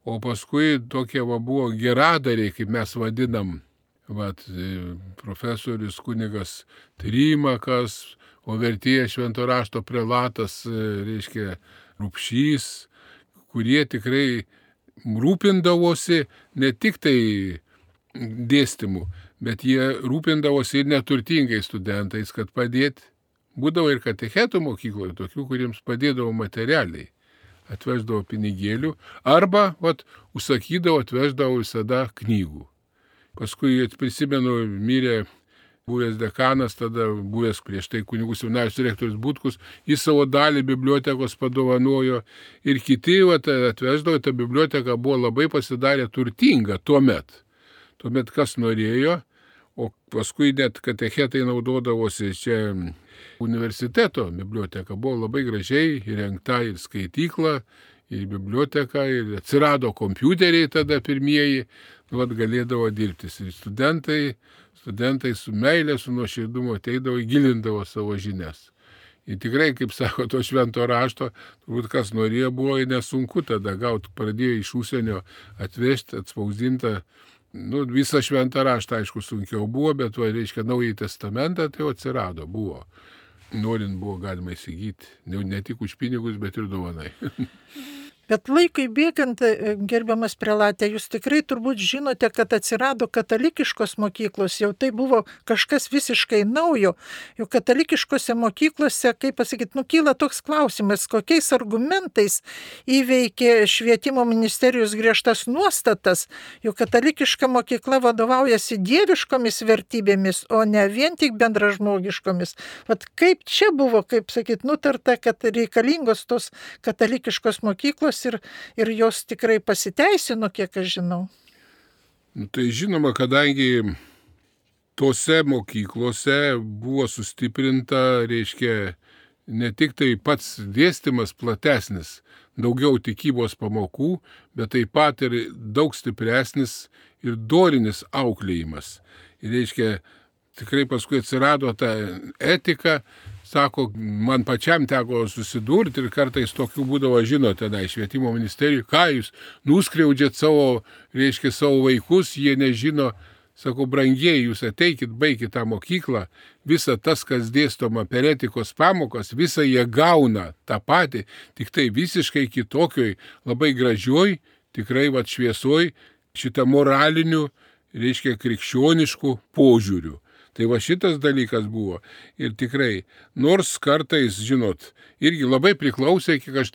B: O paskui tokie va buvo geradariai, kaip mes vadinam, vat, profesorius kunigas Trimakas, o vertėjas švento rašto prelatas, reiškia, Rupšys, kurie tikrai rūpindavosi ne tik tai dėstymų, bet jie rūpindavosi ir neturtingais studentais, kad padėti. Būdavo ir katechetų mokykloje, tokių, kuriems padėdavo materialiai. Atveždavo pinigėlių arba, vat, užsakydavo, atveždavo visada knygų. Paskui, prisimenu, mirė buvęs dekanas, tada buvęs prieš tai kunigų seminarijos direktorius Butkus, jis savo dalį bibliotekos padovanojo ir kiti vat, atveždavo, ta biblioteka buvo labai pasidarė turtinga tuomet. Tuomet kas norėjo, o paskui net katechetai naudodavosi čia universiteto biblioteka. Buvo labai gražiai įrengta ir skaitykla, ir biblioteka, ir atsirado kompiuteriai tada pirmieji, vat, galėdavo dirbtis. Ir studentai, studentai su meilė, su nuoširdumu ateidavo, gilindavo savo žinias. Ir tikrai, kaip sako, to švento rašto, turbūt kas norėjo, buvo nesunku tada gauti, pradėjo iš užsienio atvežti, atspausdintą. Nu, visą šventą raštą, aišku, sunkiau buvo, bet, va, reiškia, Naująjį testamentą tai atsirado, buvo. Norint buvo galima įsigyti, ne, ne tik už pinigus, bet ir dovanai.
A: Bet laikui bėgant, gerbiamas prelatė, jūs tikrai turbūt žinote, kad atsirado katalikiškos mokyklos, jau tai buvo kažkas visiškai naujo. Jau katalikiškose mokyklose, kaip pasakyti, nukyla toks klausimas, kokiais argumentais įveikė švietimo ministerijos griežtas nuostatas, jau katalikiška mokykla vadovaujasi dieviškomis vertybėmis, o ne vien tik bendražmogiškomis. Vat kaip čia buvo, kaip sakyti, nutarta, kad reikalingos tos katalikiškos mokyklos Ir, ir jos tikrai pasiteisino, kiek aš žinau.
B: Nu, tai žinoma, kadangi tose mokyklose buvo sustiprinta, reiškia, ne tik tai pats dėstymas platesnis, daugiau tikybos pamokų, bet taip pat ir daug stipresnis ir dorinis auklėjimas. Ir reiškia, tikrai paskui atsirado ta etika. Sako, man pačiam teko susidurti ir kartais tokių būdavo, žinote, na, švietimo ministerijų, ką jūs nuskriaudžiat savo, reiškia, savo vaikus, jie nežino, sako, brangieji, jūs ateikit, baikit tą mokyklą, visa tas, kas dėstoma per etikos pamokas, visą jie gauna tą patį, tik tai visiškai kitokioj, labai gražioj, tikrai vat šviesoj, šitą moralinių, reiškia, krikščioniškų požiūrių. Tai va šitas dalykas buvo. Ir tikrai, nors kartais, žinot, irgi labai priklausė, kiek aš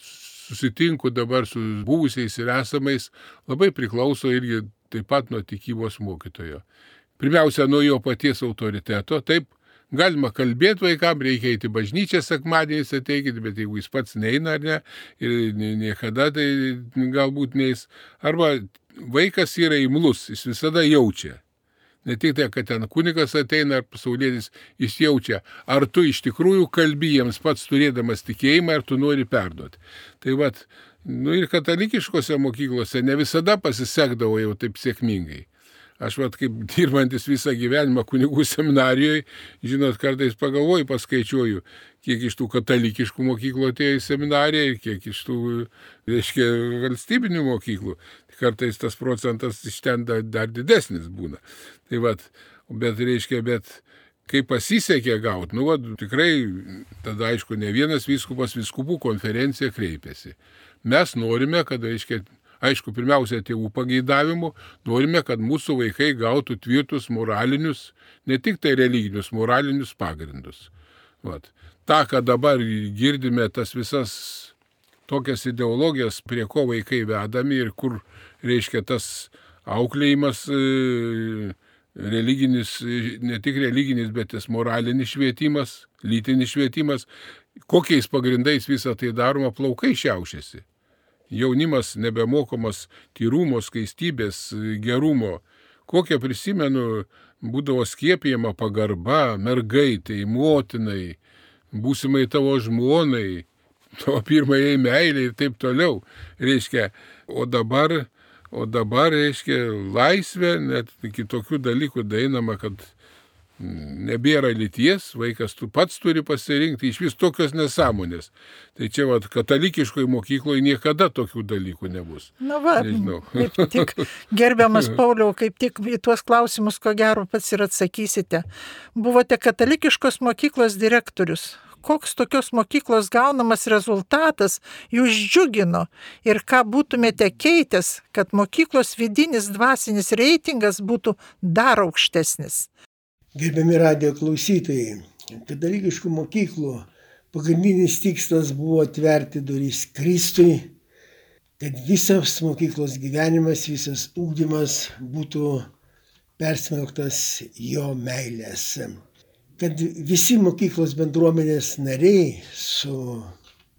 B: susitinku dabar su buvusiais ir esamais, labai priklauso irgi taip pat nuo tikybos mokytojo. Pirmiausia, nuo jo paties autoriteto. Taip, galima kalbėti vaikam, reikia eiti bažnyčią sekmadieniais ateikit, bet jeigu jis pats neina ar ne, ir niekada tai galbūt neis. Arba vaikas yra imlus, jis visada jaučia. Ne tik tai, kad ten kunigas ateina ar pasaulietis, jis jaučia, ar tu iš tikrųjų kalbi jiems pats turėdamas tikėjimą, ar tu nori perduoti. Tai vat, nu ir katalikiškose mokyklose ne visada pasisekdavo jau taip sėkmingai. Aš vat kaip dirbantis visą gyvenimą kunigų seminarijoje, žinot, kartais pagalvoju, paskaičiuoju, kiek iš tų katalikiškų mokyklų atėjo į seminariją ir kiek iš tų, reiškia, valstybinių mokyklų. Kartais tas procentas iš ten dar, dar didesnis būna. Tai vat, bet reiškia, bet kai pasisekė gauti, nu, vat, tikrai, tada aišku, ne vienas vyskupas vyskupų konferencija kreipėsi. Mes norime, kad, reiškia, aišku, pirmiausia, tėvų pageidavimų, norime, kad mūsų vaikai gautų tvirtus moralinius, ne tik tai religinius, moralinius pagrindus. Vat. Ta, kad dabar girdime tas visas tokias ideologijas, prie ko vaikai vedami ir kur, reiškia, tas auklėjimas religinis, ne tik religinis, bet tas moralinis švietimas, lytinis švietimas, kokiais pagrindais visą tai daroma, plaukai šiaušiasi. Jaunimas nebemokomas tyrumo, skaistybės, gerumo. Kokią prisimenu, būdavo skiepijama pagarba mergaitai, motinai, būsimai tavo žmonai, tavo pirmajai meiliai ir taip toliau. Reiškia, o dabar, o dabar, reiškia, laisvė, net iki tokių dalykų dainama, kad nebėra lyties, vaikas tu pats turi pasirinkti, iš vis tokios nesąmonės. Tai čia vat, katalikiškoje mokykloje niekada tokių dalykų nebus.
A: Na va,
B: nežinau.
A: Kaip tik, gerbiamas Pauliau, kaip tik į tuos klausimus, ko gero, pats ir atsakysite. Buvote katalikiškos mokyklos direktorius. Koks tokios mokyklos gaunamas rezultatas jūs džiugino ir ką būtumėte keitęs, kad mokyklos vidinis dvasinis reitingas būtų dar aukštesnis?
E: Gerbiami radijo klausytojai, katalikiškų mokyklų pagrindinis tikslas buvo atverti duris Kristui, kad visas mokyklos gyvenimas, visas ugdymas būtų persmelktas jo meilės. Kad visi mokyklos bendruomenės nariai su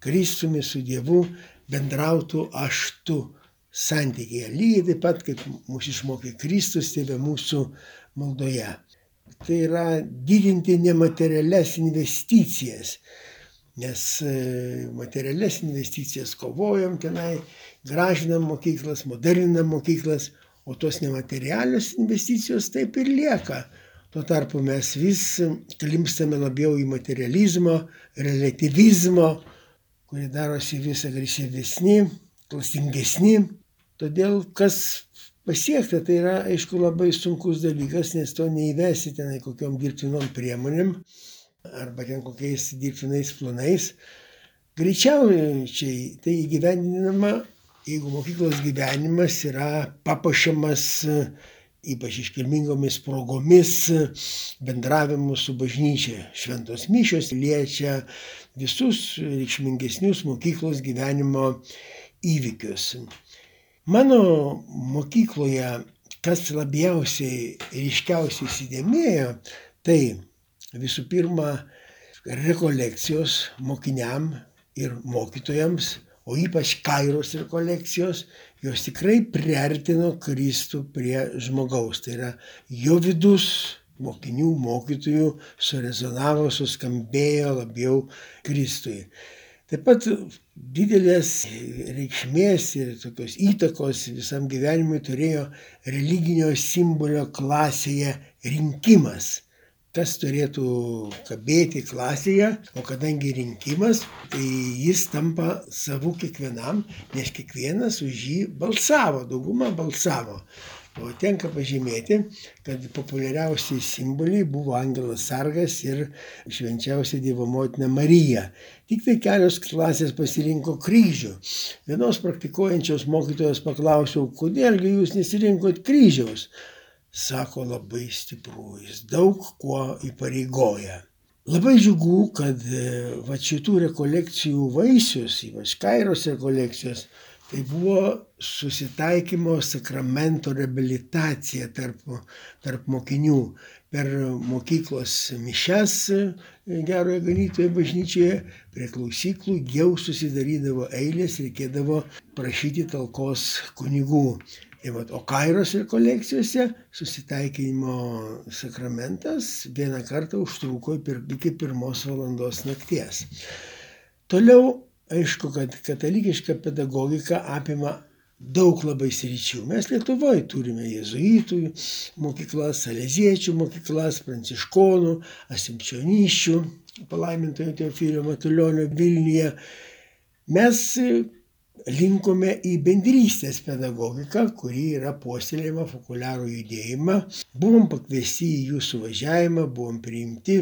E: Kristumi, su Dievu bendrautų aš-tu santykyje. Lygiai taip pat, kaip mūsų išmokė Kristus, tėve mūsų maldoje. Tai yra didinti nematerialias investicijas, nes materialias investicijas kovojam tenai, gražinam mokyklas, moderninam mokyklas, o tos nematerialios investicijos taip ir lieka. Tuo tarpu mes vis klimpstame labiau į materializmo, relativizmo, kurie darosi vis agresyvesni, klastingesni. Todėl kas pasiekta, tai yra, aišku, labai sunkus dalykas, nes to neįvesi tenai kokiom dirbtinom priemonėm arba ten kokiais dirbtinais planais. Greičiausiai tai įgyvendinama, jeigu mokyklos gyvenimas yra papuošiamas ypač iškilmingomis progomis, bendravimu su bažnyčia. Šventos mišios liečia visus reikšmingesnius mokyklos gyvenimo įvykius. Mano mokykloje, kas labiausiai ryškiausiai įsidėmėjo, tai visų pirma rekolekcijos mokiniam ir mokytojams, o ypač kairos rekolekcijos, jos tikrai priartino Kristų prie žmogaus. Tai yra jo vidus mokinių, mokytojų surezonavo, suskambėjo labiau Kristui. Taip pat didelės reikšmės ir tokios įtakos visam gyvenimui turėjo religinio simbolio klasėje rinkimas. Kas turėtų kabėti klasėje, o kadangi rinkimas, tai jis tampa savu kiekvienam, nes kiekvienas už jį balsavo, dauguma balsavo. O tenka pažymėti, kad populiariausi simboliai buvo angelas sargas ir švenčiausia Dievo motina Marija. Tik tai kelios klasės pasirinko kryžių. Vienos praktikuojančios mokytojos paklausiau, kodėlgi jūs nesirinkot kryžiaus? Sako, labai stipru, jis daug kuo įpareigoja. Labai džiugu, kad va šitų rekolekcijų vaisius, ypač kairos rekolekcijos, tai buvo susitaikymo sakramento reabilitacija tarp, tarp mokinių. Per mokyklos mišias Gerojo Ganytojo bažnyčioje prie klausyklų jau susidarydavo eilės, reikėdavo prašyti talkos kunigų. O kairos rekolekcijose susitaikinimo sakramentas vieną kartą užtruko iki pirmos valandos nakties. Toliau, aišku, kad katalikiška pedagogika apima daug labai sričių. Mes Lietuvoje turime jėzuitų mokyklas, saleziečių mokyklas, pranciškonų, asimčionyščių, palaimintojo Teofilio Matulionio Vilniuje. Mes linkome į bendrystės pedagogiką, kuri yra puoselėjama fokuliarų judėjimą. Buvom pakviesti į jų suvažiavimą, buvom priimti,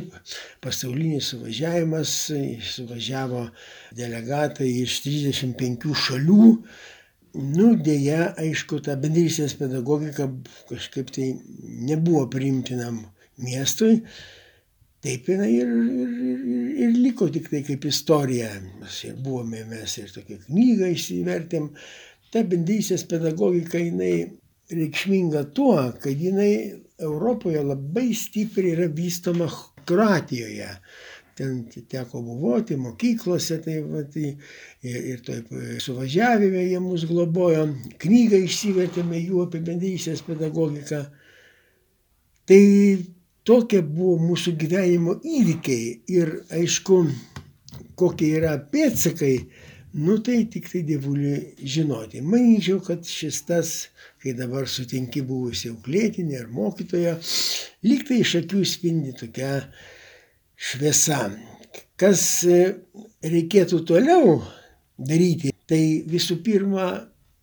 E: pasaulinis suvažiavimas, suvažiavo delegatai iš trisdešimt penkių šalių. Nu, dėja, aišku, ta bendrystės pedagogika kažkaip tai nebuvo priimtinam miestui. Taip jinai ir, ir, ir, ir liko tik tai kaip istorija. Ir buvome mes ir tokią knygą išsivertėm. Ta bendrystės pedagogika jinai reikšminga tuo, kad jinai Europoje labai stipriai yra vystoma Kroatijoje. Ten teko buvoti mokyklose, tai, va, tai, ir, ir taip suvažiavime jie mus globojo. Knygą išsivertėme jų apie bendrystės pedagogiką. Tai tokie buvo mūsų gyvenimo įvykiai ir aišku, kokie yra pėdsakai, nu tai tik tai dievuliui žinoti. Manyčiau, kad šis tas, kai dabar sutinki buvusi auklėtinė ar mokytoja, lyg tai iš akių spindi tokia šviesa. Kas reikėtų toliau daryti, tai visų pirma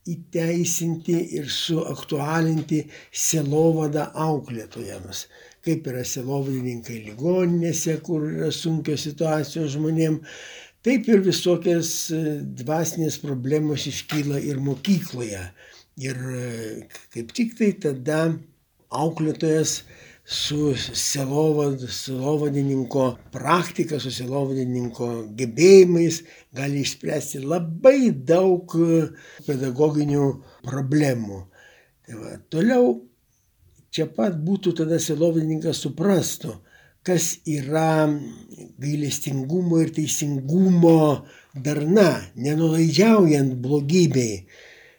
E: įteisinti ir suaktualinti sielovadą auklėtojams. Kaip yra sielovadininkai ligoninėse, kur yra sunkios situacijos žmonėm, taip ir visokias dvasinės problemos iškyla ir mokykloje. Ir kaip tik tai tada auklėtojas su sielovadininko praktika, su sielovadininko gebėjimais gali išspręsti labai daug pedagoginių problemų. Tai va, toliau čia pat būtų tada sielovadininkas suprastų, kas yra gailestingumo ir teisingumo darna, nenulaidžiaujant blogybei,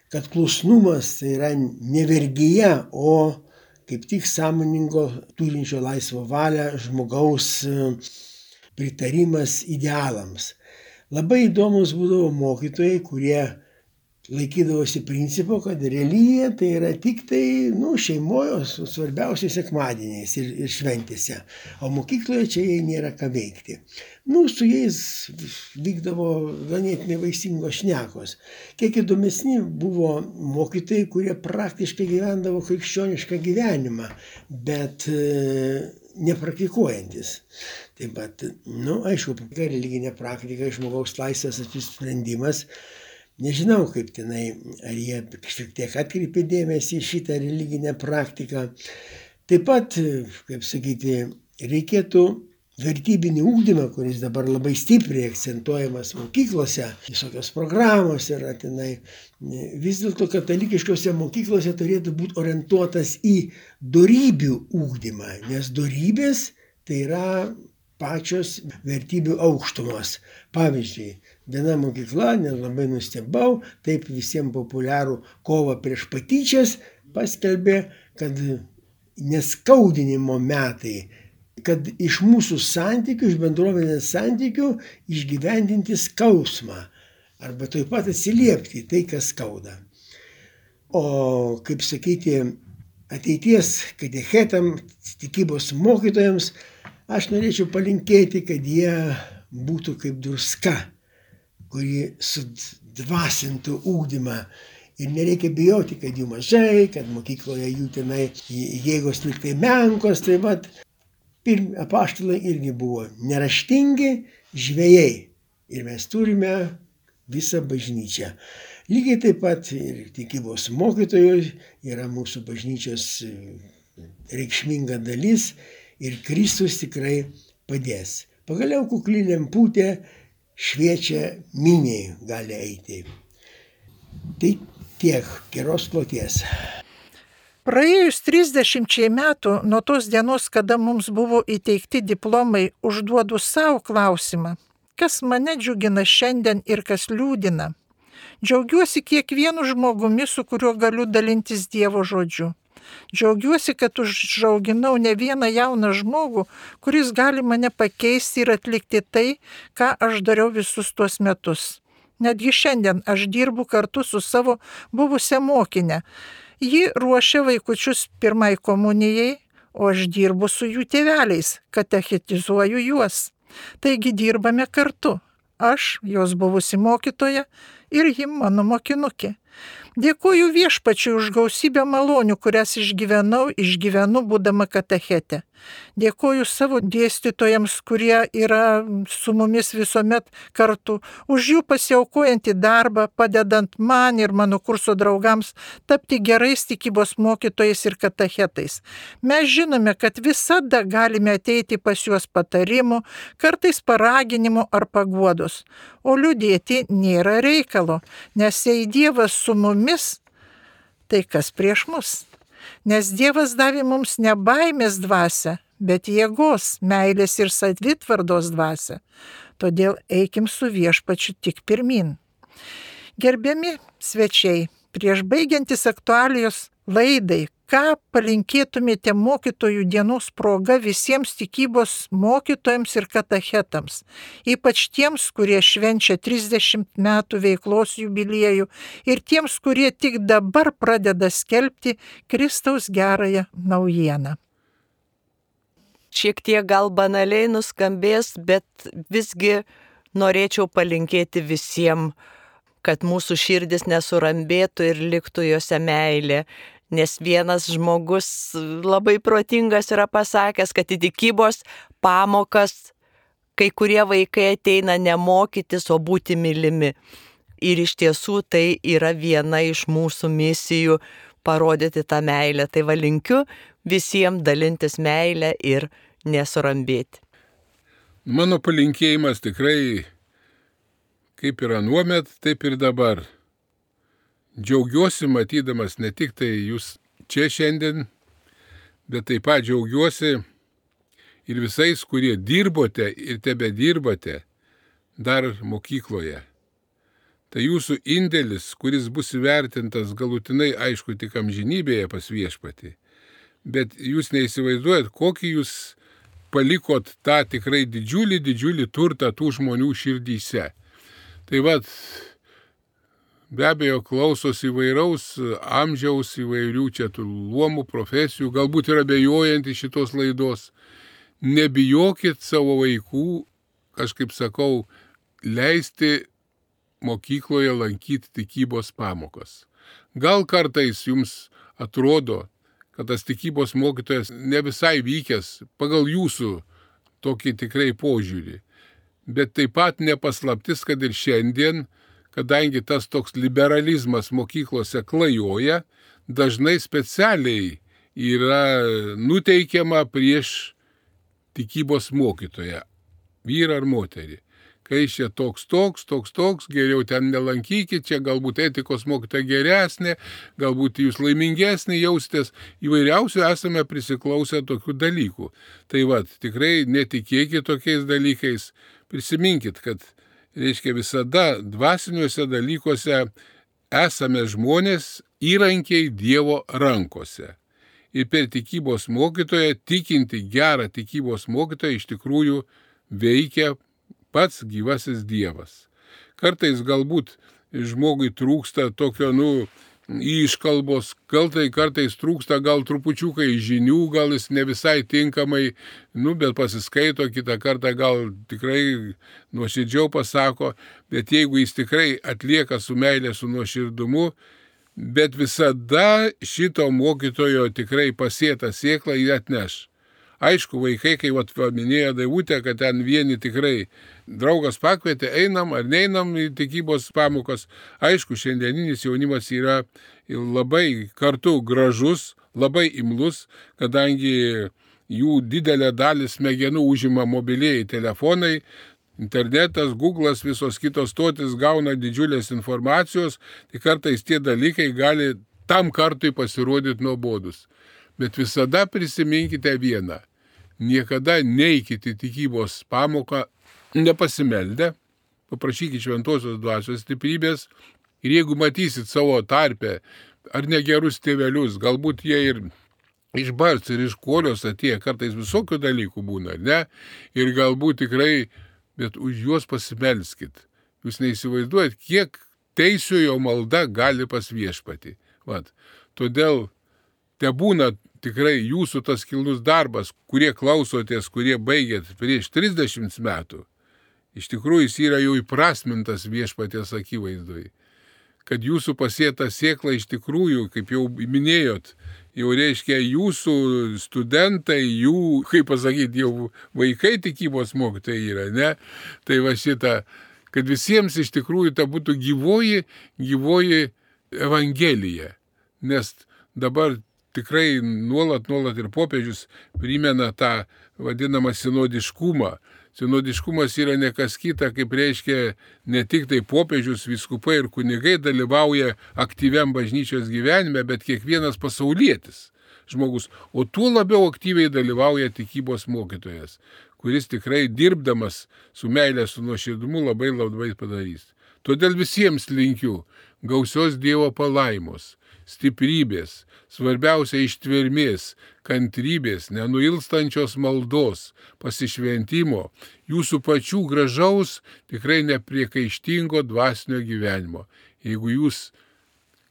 E: kad klusnumas tai yra ne vergija, o kaip tik sąmoningo, turinčio laisvą valią žmogaus pritarimas idealams. Labai įdomus būdavo mokytojai, kurie laikydavosi principo, kad religija tai yra tik tai nu, šeimoje, svarbiausiai sekmadieniais ir, ir šventėse, o mokykloje čia jai nėra ką veikti. Nu, su jais vykdavo ganėtinai vaisingos šnekos. Kiek įdomesni buvo mokytojai, kurie praktiškai gyvendavo krikščionišką gyvenimą, bet e, nepraktikuojantis. Taip pat, nu, aišku, religinė praktika, žmogaus laisvės apsisprendimas. Nežinau, kaip tenai, ar jie šiek tiek atkreipė dėmesį į šitą religinę praktiką. Taip pat, kaip sakyti, reikėtų vertybinį ugdymą, kuris dabar labai stipriai akcentuojamas mokyklose, visokios programos yra tenai, vis dėlto katalikiškose mokyklose turėtų būti orientuotas į dorybių ugdymą, nes dorybės tai yra pačios vertybių aukštumos. Pavyzdžiui, viena mokykla, nelabai nustebau, taip visiems populiarų kovą prieš patyčias paskelbė, kad neskaudinimo metai, kad iš mūsų santykių, iš bendruomenės santykių išgyvendinti skausmą arba taip pat atsiliepti tai, kas skauda. O, kaip sakyti, ateities katechetam, tikybos mokytojams, aš norėčiau palinkėti, kad jie būtų kaip druska, kuri sudvasintų ugdymą. Ir nereikia bijoti, kad jų mažai, kad mokykloje jų tenai jėgos lyg tai menkos. Tai vat, pirmi apaštalai irgi buvo neraštingi žvejai. Ir mes turime visą bažnyčią. Lygiai taip pat ir tikybos mokytojų yra mūsų bažnyčios reikšminga dalis. Ir Kristus tikrai padės. Pagaliau kukli lemputė šviečia miniai gali eiti. Tai tiek, geros kloties.
A: Praėjus trisdešimčiai metų nuo tos dienos, kada mums buvo įteikti diplomai, užduodu savo klausimą, kas mane džiugina šiandien ir kas liūdina. Džiaugiuosi kiekvienu žmogumi, su kuriuo galiu dalintis Dievo žodžiu. Džiaugiuosi, kad užauginau ne vieną jauną žmogų, kuris gali mane pakeisti ir atlikti tai, ką aš dariau visus tuos metus. Netgi šiandien aš dirbu kartu su savo buvusią mokinę. Ji ruošia vaikučius pirmai komunijai, o aš dirbu su jų tėveliais, katechetizuoju juos. Taigi dirbame kartu. Aš, jos buvusi mokytoja, ir ji mano mokinukė. Dėkuoju Viešpačiui už gausybę malonių, kurias išgyvenau, išgyvenu būdama katechete. Dėkuoju savo dėstytojams, kurie yra su mumis visuomet kartu, už jų pasiaukojantį darbą, padedant man ir mano kurso draugams tapti gerais tikybos mokytojais ir katechetais. Mes žinome, kad visada galime ateiti pas juos patarimų, kartais paraginimų ar paguodos, o liūdėti nėra reikalo, nes jei Dievas su mumis, tai kas prieš mus? Nes Dievas davė mums ne baimės dvasią, bet jėgos, meilės ir savitvardos dvasią. Todėl eikim su Viešpačiu tik pirmin. Gerbiami svečiai, prieš baigiantis aktualijos laidai, ką palinkėtumėte mokytojų dienos proga visiems tikybos mokytojams ir katechetams, ypač tiems, kurie švenčia trisdešimt metų veiklos jubiliejų ir tiems, kurie tik dabar pradeda skelbti Kristaus gerąją naujieną.
C: Šiek tiek gal banaliai nuskambės, bet visgi norėčiau palinkėti visiems, kad mūsų širdis nesurambėtų ir liktų juose meilė. Nes vienas žmogus labai protingas yra pasakęs, kad į tikybos pamokas kai kurie vaikai ateina ne mokytis, o būti mylimi. Ir iš tiesų tai yra viena iš mūsų misijų parodyti tą meilę. Tai va linkiu visiems dalintis meilę ir nesurambėti.
B: Mano palinkėjimas tikrai kaip ir anuomet, taip ir dabar. Džiaugiuosi matydamas ne tik tai jūs čia šiandien, bet taip pat džiaugiuosi ir visais, kurie dirbote ir tebe dirbate dar mokykloje. Tai jūsų indėlis, kuris bus įvertintas galutinai, aišku, tik amžinybėje pas Viešpatį. Bet jūs neįsivaizduojat, kokį jūs palikot tą tikrai didžiulį, didžiulį turtą tų žmonių širdyse. Tai vat, be abejo, klausos įvairaus amžiaus, įvairių čia tų luomų, profesijų, galbūt ir abejojantys šitos laidos. Nebijokit savo vaikų, aš kaip sakau, leisti mokykloje lankyti tikybos pamokas. Gal kartais jums atrodo, kad tas tikybos mokytojas ne visai vykęs pagal jūsų tokį tikrai požiūrį. Bet taip pat nepaslaptis, kad ir šiandien, kadangi tas toks liberalizmas mokyklose klajoja, dažnai specialiai yra nuteikiama prieš tikybos mokytoją, vyrą ar moterį. Kai čia toks, toks, toks, toks, geriau ten nelankykit, čia galbūt etikos mokytoja geresnė, galbūt jūs laimingesnė jaustės, įvairiausių esame prisiklausę tokių dalykų. Tai vat, tikrai netikėkit tokiais dalykais, prisiminkit, kad reiškia visada dvasiniuose dalykuose esame žmonės įrankiai Dievo rankose. Ir per tikybos mokytoją, tikinti gerą tikybos mokytoją, iš tikrųjų veikia pats gyvasis Dievas. Kartais galbūt žmogui trūksta tokio, nu, iškalbos, gal tai kartais trūksta gal trupučiukai žinių, gal jis ne visai tinkamai, nu, bet pasiskaito, kitą kartą gal tikrai nuoširdžiau pasako, bet jeigu jis tikrai atlieka su meilė, su nuoširdumu, bet visada šito mokytojo tikrai pasėtą sėklą jį atneš. Aišku, vaikai, kai vat paminėjo Daivutė, kad ten vieni tikrai draugas pakvietė, einam ar neinam į tikybos pamokas. Aišku, šiandieninis jaunimas yra labai kartu gražus, labai imlus, kadangi jų didelę dalį smegenų užima mobilieji telefonai, internetas, Google'as, visos kitos stotis gauna didžiulės informacijos, tai kartais tie dalykai gali tam kartui pasirodyti nuobodus. Bet visada prisiminkite vieną. Niekada neikite tikybos pamoką nepasimeldę, paprašykite šventosios dvasios stiprybės ir jeigu matysit savo tarpe ar negerus tėvelius, galbūt jie ir iš bars ir iš kolios atėję, kartais visokių dalykų būna, ne? Ir galbūt tikrai, bet už juos pasimelskit. Jūs neįsivaizduojat, kiek teisiojo malda gali pas viešpatį. Vat. Todėl te būna tikrai jūsų tas kilnus darbas, kurie klausotės, kurie baigėt prieš trisdešimt metų. Iš tikrųjų jis yra jau įprasmintas viešpaties akivaizdoj. Kad jūsų pasėta sėkla iš tikrųjų, kaip jau minėjot, jau reiškia jūsų studentai, jų, kaip pasakyti, jau vaikai tikybos mokytojai yra, ne? Tai va šitą, kad visiems iš tikrųjų ta būtų gyvoji, gyvoji evangelija. Nes dabar tikrai nuolat, nuolat ir popiežius primena tą vadinamą sinodiškumą. Sinodiškumas yra ne kas kita, kaip reiškia ne tik tai popiežius, vyskupai ir kunigai dalyvauja aktyviam bažnyčios gyvenime, bet kiekvienas pasaulietis žmogus. O tuo labiau aktyviai dalyvauja tikybos mokytojas, kuris tikrai dirbdamas su meilė, su nuoširdumu labai labai padarys. Todėl visiems linkiu gausios Dievo palaimos, stiprybės, svarbiausia ištvermės, kantrybės, nenuilstančios maldos, pasišventimo, jūsų pačių gražaus, tikrai nepriekaištingo dvasinio gyvenimo. Jeigu jūs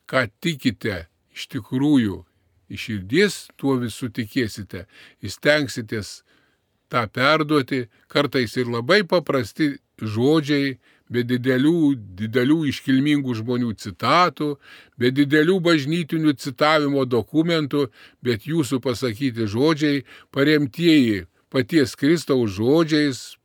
B: ką tikite iš tikrųjų, iš širdies tuo visų tikėsite, įstengsitės tą perduoti, kartais ir labai paprasti žodžiai, be didelių, didelių iškilmingų žmonių citatų, be didelių bažnytinių citavimo dokumentų, bet jūsų pasakyti žodžiai, paremtieji paties Kristaus žodžiais,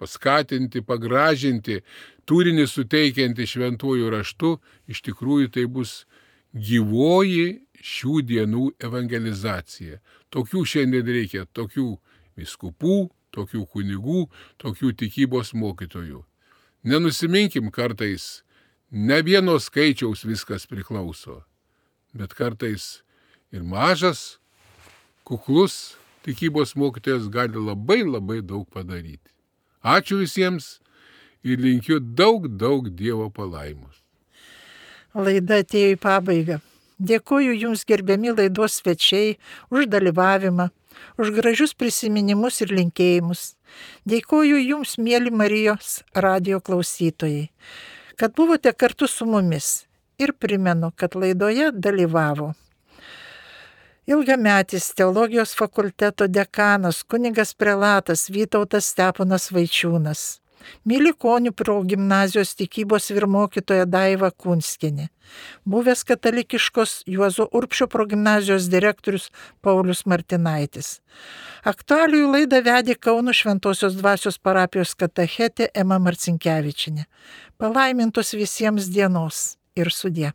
B: paskatinti, pagražinti, turinį suteikianti šventuoju raštu, iš tikrųjų tai bus gyvoji šių dienų evangelizacija. Tokių šiandien reikia, tokių vyskupų, tokių kunigų, tokių tikybos mokytojų. Nenusiminkim kartais, ne vieno skaičiaus viskas priklauso, bet kartais ir mažas, kuklus tikybos mokytojas gali labai labai daug padaryti. Ačiū visiems ir linkiu daug, daug Dievo palaimos.
A: Laida atėjo į pabaigą. Dėkoju Jums, gerbiami laidos svečiai, už dalyvavimą, už gražius prisiminimus ir linkėjimus. Dėkoju Jums, mėly Marijos radijo klausytojai, kad buvote kartu su mumis ir primenu, kad laidoje dalyvavo ilgametis teologijos fakulteto dekanas, kunigas prelatas Vytautas Steponas Vaičiūnas, Mylikonių progimnazijos tikybos vyrmokytoja Daiva Kunskienė, buvęs katalikiškos Juozo Urbšio progimnazijos direktorius Paulius Martinaitis. Aktualijų laidą vedė Kauno Šventosios dvasios parapijos katechetė Ema Marcinkevičienė. Palaimintos visiems dienos ir sudie.